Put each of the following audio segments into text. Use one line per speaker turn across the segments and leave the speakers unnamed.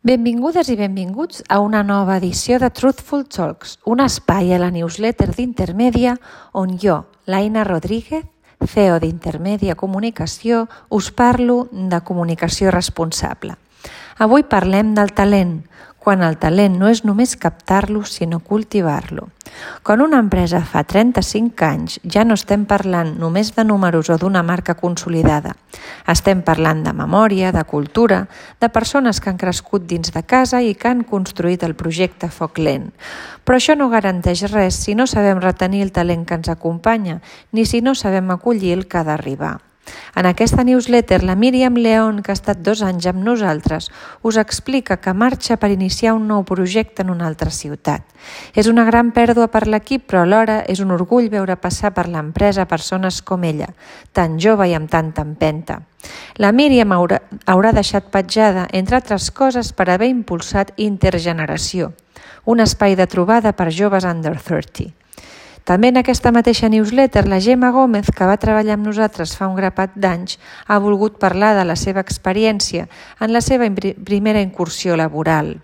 Benvingudes i benvinguts a una nova edició de Truthful Talks, un espai a la newsletter d'Intermèdia on jo, l'Aina Rodríguez, CEO d'Intermèdia Comunicació, us parlo de comunicació responsable. Avui parlem del talent, quan el talent no és només captar-lo, sinó cultivar-lo. Quan una empresa fa 35 anys, ja no estem parlant només de números o d'una marca consolidada. Estem parlant de memòria, de cultura, de persones que han crescut dins de casa i que han construït el projecte a foc lent. Però això no garanteix res si no sabem retenir el talent que ens acompanya, ni si no sabem acollir el que ha d'arribar. En aquesta newsletter, la Míriam León, que ha estat 2 anys amb nosaltres, us explica que marxa per iniciar un nou projecte en una altra ciutat. És una gran pèrdua per l'equip, però alhora és un orgull veure passar per l'empresa persones com ella, tan jove i amb tanta empenta. La Míriam haurà deixat petjada, entre altres coses, per haver impulsat Intergeneració, un espai de trobada per joves under 30. També en aquesta mateixa newsletter, la Gemma Gómez, que va treballar amb nosaltres fa un grapat d'anys, ha volgut parlar de la seva experiència en la seva primera incursió laboral.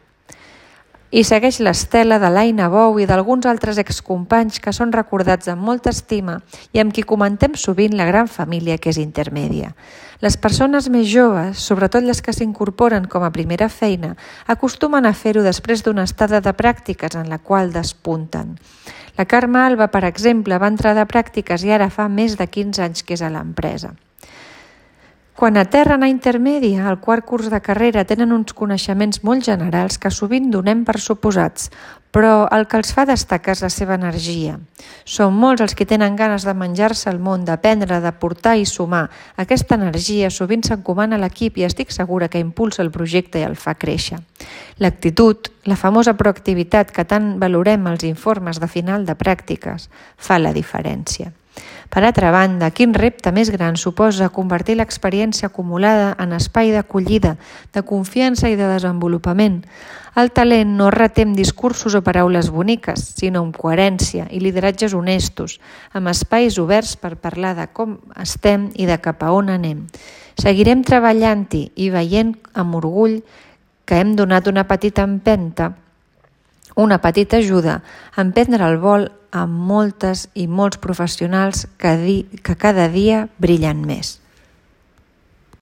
I segueix l'estela de l'Aina Bou i d'alguns altres excompanys que són recordats amb molta estima i amb qui comentem sovint la gran família que és Intermèdia. Les persones més joves, sobretot les que s'incorporen com a primera feina, acostumen a fer-ho després d'una estada de pràctiques en la qual despunten. La Carme Alba, per exemple, va entrar de pràctiques i ara fa més de 15 anys que és a l'empresa. Quan aterren a Intermèdia, al quart curs de carrera, tenen uns coneixements molt generals que sovint donem per suposats, però el que els fa destacar és la seva energia. Són molts els que tenen ganes de menjar-se el món, d'aprendre, de portar i sumar. Aquesta energia sovint s'encomana a l'equip i estic segura que impulsa el projecte i el fa créixer. L'actitud, la famosa proactivitat que tant valorem als informes de final de pràctiques, fa la diferència. Per altra banda, quin repte més gran suposa convertir l'experiència acumulada en espai d'acollida, de confiança i de desenvolupament. El talent no es reté amb discursos o paraules boniques, sinó amb coherència i lideratges honestos, amb espais oberts per parlar de com estem i de cap a on anem. Seguirem treballant-hi i veient amb orgull que hem donat una petita empenta, una petita ajuda a emprendre el vol amb moltes i molts professionals que cada dia brillen més.